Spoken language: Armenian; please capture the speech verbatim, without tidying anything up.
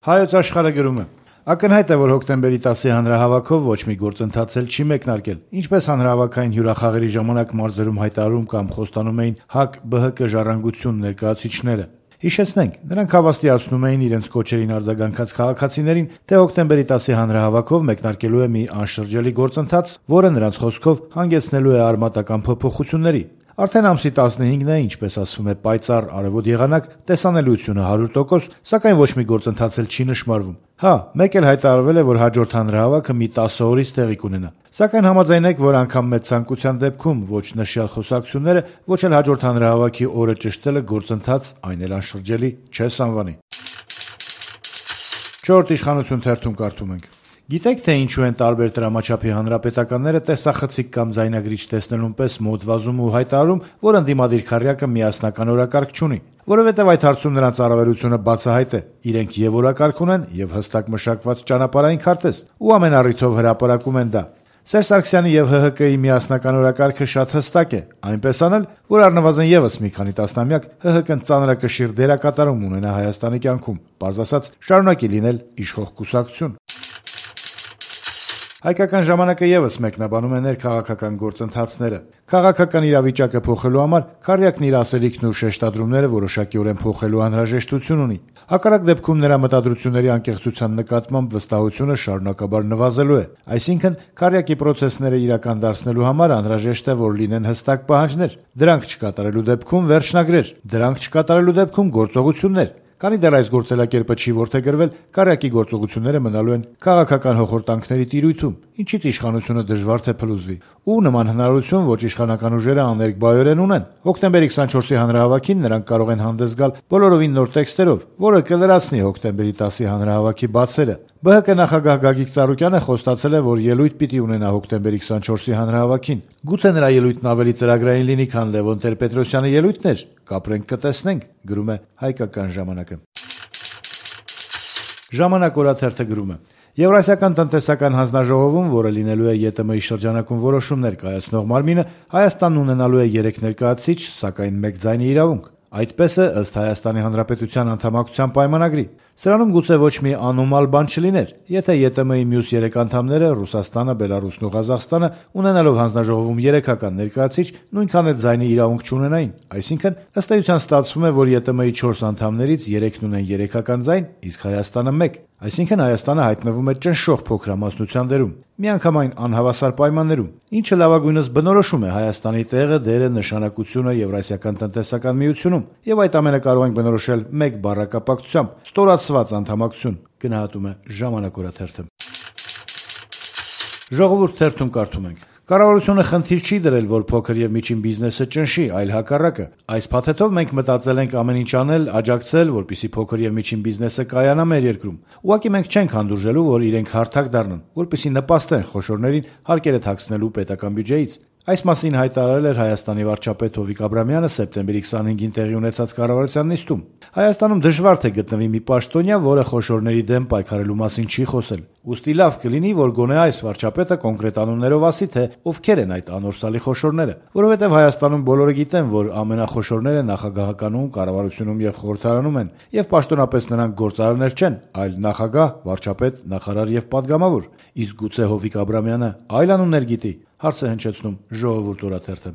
Հայոց աշխարհը գրում է. ակնհայտ է, որ հոկտեմբերի տասի հանրահավաքով ոչ մի գործընթաց էլ չի մեկնարկել, ինչպես հանրահավաքային հյուրախաղերի ժամանակ մարզերում հայտարարում կամ խոստանում էին ՀԱԿ-ԲՀԿ ժառանգություն ներկայացուցիչները։ Հիշեցնենք, նրանք հավաստիացնում էին իրենց կոչերին արձագանքած քաղաքացիներին, թե հոկտեմբերի տասի հանրահավաքով մեկնարկելու է մի անշրջելի գործընթաց, որը նրանց խոսքով հանգեցնելու է արմատական փոփոխությունների։ Արդեն ամսի տասնհինգն է, ինչպես ասվում է, պայծառ արևոտ եղանակ, տեսանելիությունը հարյուր տոկոս, սակայն ոչ մի գործընթաց էլ չի նշмарվում։ Հա, մեկ էլ հայտարարվել է, որ հաջորդ հանրահավաքը մի տասը օրից տեղի կունենա։ Սակայն համաձայնեք, որ անգամ մեծ ցանկության դեպքում ոչ նշյալ խոսակցությունները, ոչ էլ հաջորդ հանրահավաքի օրը ճշտելը գործընթաց, այն էլ անշրջելի չես անվանի։ Չորրորդ իշխանություն թերթում կարդում ենք. Գիտեք, թե ինչու են տարբեր տրամաչափի հանրապետականները տեսախցիկ կամ ձայնագրիչ տեսնելուն պես մոտ վազում ու հայտարարում, որ ընդդիմադիր քառյակը միասնական օրակարգ չունի, որովհետև այդ հարցում նրանց առավելությունը բացահայտ է։ Իրենք եւ օրակարգ ունեն, եւ հստակ մշակված ճանապարհային քարտեզ, ու ամեն առիթով հրապարակում են դա։ Սերժ Սարգսյանի եւ ՀՀԿ-ի միասնական օրակարգը շատ հստակ է, այնպես անել, որ առնվազն եւս մի քանի տասնամյակ ՀՀԿ-ն ծանրակշիռ դերակատարում ունենա Հայաստանի կյանքում, բաց ասած, շարունակի լինել իշխող կուսակցություն։ Հայկական ժամանակը եւս մեկնաբանում է ներքաղաքական գործընթացները։ Քաղաքական իրավիճակը փոխելու համար քառյակն իր ասելիքն ու շեշտադրումները որոշակիորեն փոխելու անհրաժեշտություն ունի։ Հակառակ դեպքում նրա մտադրությունների անկեղծության նկատմամբ վստահությունը շարունակաբար նվազելու է։ Այսինքն, քառյակի պրոցեսները իրական դարձնելու համար անհրաժեշտ է, որ լինեն հստակ պահանջներ, դրանք չկատարելու դեպքում վերջնագրեր, դրանք չկատարելու դեպքում գործողություններ։ Քանի դեռ այս գործելակերպը չի որդեգրվել, քառյակի գործողությունները մնալու են քաղաքական հոխորտանքների տիրույթում, ինչից իշխանությունը դժվար թե փլուզվի։ Ու նման հնարավորություն ոչ իշխանական ուժերը աներկբայորեն ունեն։ Հոկտեմբերի քսանչորսի հանրահավաքին նրանք կարող են հանդես գալ բոլորովին նոր տեքստերով, որը կլրացնի հոկտեմբերի տասի հանրահավաքի բացերը։ ԲՀԿ նախագահ Գագիկ Ծառուկյանը խոստացել է, որ ելույթ պիտի ունենա հոկտեմբերի քսանչորսի հանրահավաքին։ Գուցե նրա ելույթն ավելի ծրագրային լինի, քան Լևոն Տեր-Պետրոսյանի ելույթն էր։ Կապրենք, կտեսնենք, գրում է Հայկական ժամանակը։ Ժամանակ օրաթերթը գրում է. Եվրասիական տնտեսական հանձնաժողովում, որը լինելու է ԵՏՄ-ի շրջանակում որոշումներ կայացնող մարմինը, Հայաստանն ունենալու է երեք ներկայացուցիչ, սակայն մեկ ձայնի իրավունք։ Այդպես է ըստ Հայաստանի Հանրապետության անդամակցության պայմանագրի։ Սրանում գուցե ոչ մի անոմալ բան չլիներ, եթե ԵՏՄ-ի մյուս երեք անդամները՝ Ռուսաստանը, Բելարուսն ու Ղազախստանը, ունենալով հանձնաժողովում երեքական ներկայացուցիչ, նույնքան էլ ձայնի իրավունք չունենային։ Այսինքն, ըստ էության ստացվում է, որ ԵՏՄ-ի չորս անդամներից երեքն ունեն երեքական ձայն, իսկ Հայաստանը մեկ։ Այսինքն Հայաստանը հայտնվում է ճնշող փոքրամասնության դերում, միանգամայն անհավասար պայմաններում, ինչը լավագույնս բնորոշում է Հայաստանի տեղը, դերը, նշանակությունը Եվրասիական տնտեսական միությունում, եւ այդ ամենը կարող ենք բնորոշել մեկ բառակապակցությամբ՝ ստորացված անդամակցություն, գնահատում է Ժամանակ օրաթերթը։ Ժողովուրդ թերթում կարդում ենք. Կառավարությունը խնդիր չի դրել, որ փոքր եւ միջին բիզնեսը ճնշի, այլ հակառակը։ Այս փաթեթով մենք մտածել ենք ամեն ինչ անել, աջակցել, որպեսզի փոքր եւ միջին բիզնեսը կայանա մեր երկրում։ Ուղղակի մենք չենք հանդուրժելու, որ իրենք հարթակ դառնան, որպեսզի նպաստեն խոշորներին հարկերը թաքցնելու պետական բյուջեից։ Այս մասին հայտարարել էր Հայաստանի վարչապետ Հովիկ Աբրամյանը սեպտեմբերի քսանհինգին տեղի ունեցած կառավարության նիստում։ Հայաստանում դժվար թե գտնվի մի պաշտոնյա, որը խոշորների դեմ պայքարելու մասին չի խոսել։ Ուստի լավ կլինի, որ գոնե այս վարչապետը կոնկրետ անուններով ասի, թե ովքեր են այդ անորսալի խոշորները, որովհետև Հայաստանում բոլորը գիտեն, որ ամենախոշորները նախագահականում, կառավարությունում եւ խորհրդարանում են, եւ պաշտոնապես նրանք գործարարներ չեն, այլ նախագահ, վարչապետ, նախարար եւ падգամավոր։ Իսկ գուցե Հովիկ Աբրամյանը այլ անուններ գիտի։ Հարց է հնչեցնում Ժողովուրդ օրաթերթը։